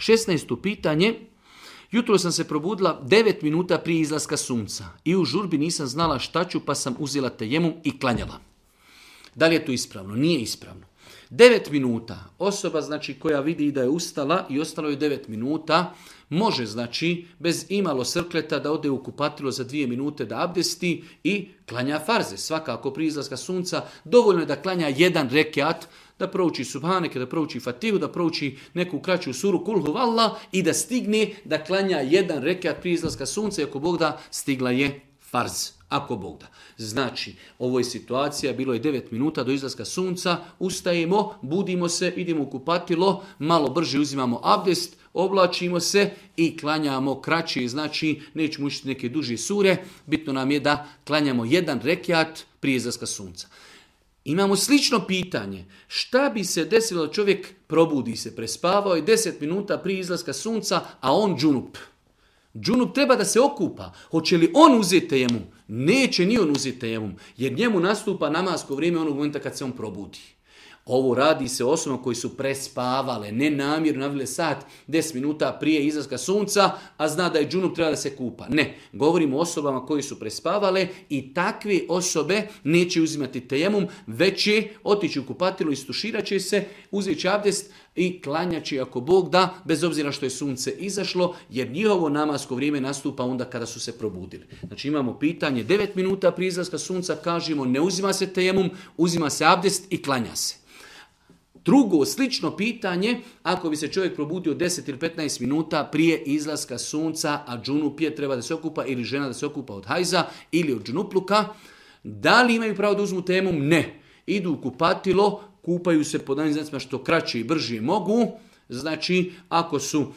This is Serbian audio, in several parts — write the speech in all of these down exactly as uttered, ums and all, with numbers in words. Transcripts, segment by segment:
šesnaesto pitanje. Jutro sam se probudila devet minuta prije izlaska sunca i u žurbi nisam znala šta ću pa sam uzela tejemum i klanjala. Da li je to ispravno? Nije ispravno. devet minuta. Osoba znači koja vidi da je ustala i ostalo je devet minuta, može znači bez imalo srkleta da ode u kupatilo za dvije minute da abdesti i klanja farze. Svakako prije izlaska sunca dovoljno je da klanja jedan rekiat, da prouči subhaneke, da prouči fatihu, da prouči neku kraću suru kul huvallah i da stigne da klanja jedan rekiat prije izlaska sunca i ako Bog da stigla je farz. Ako Bog da. Znači, ovo je situacija, bilo je devet minuta do izlaska sunca, ustajemo, budimo se, idemo u kupatilo, malo brže uzimamo abdest, oblačimo se i klanjamo kraće, znači nećemo učiti neke duže sure, bitno nam je da klanjamo jedan rekiat prije izlaska sunca. Imamo slično pitanje, šta bi se desilo da čovjek probudi se, prespavao je deset minuta prije izlaska sunca, a on džunup. Džunup treba da se okupa. Hoće li on uzeti tejemum? Neće ni on uzeti tejemum, jer njemu nastupa namasko vrijeme onog momenta kad se on probudi. Ovo radi se osobama koji su prespavale, nenamjerno navile sat, deset minuta prije izlaska sunca, a zna da je džunup, treba da se kupa. Ne, govorimo o osobama koji su prespavale i takve osobe neće uzimati tejemum, već će otići u kupatilo, istuširat će se, uzet će abdest i klanjaće ako Bog da, bez obzira što je sunce izašlo, jer njihovo namasko vrijeme nastupa onda kada su se probudili. Znači imamo pitanje, devet minuta prije izlaska sunca, kažemo ne uzima se tejemum, uzima se abdest i klanja se. Drugo, slično pitanje, ako bi se čovjek probudio deset ili petnaest minuta prije izlaska sunca, a džunup je, treba da se okupa, ili žena da se okupa od hajza ili od džunupluka, da li imaju pravo da uzmu tejemum? Ne. Idu u kupatilo, kupaju se po danim znacima što kraće i brže mogu. Znači, ako su uh,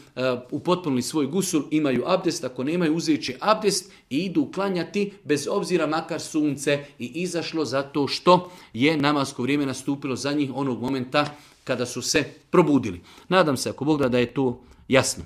upotpunili svoj gusul, imaju abdest, ako nemaju, uzet će abdest i idu klanjati bez obzira makar sunce i izašlo zato što je namasko vrijeme nastupilo za njih onog momenta kada su se probudili. Nadam se, ako Bog da, da je to jasno.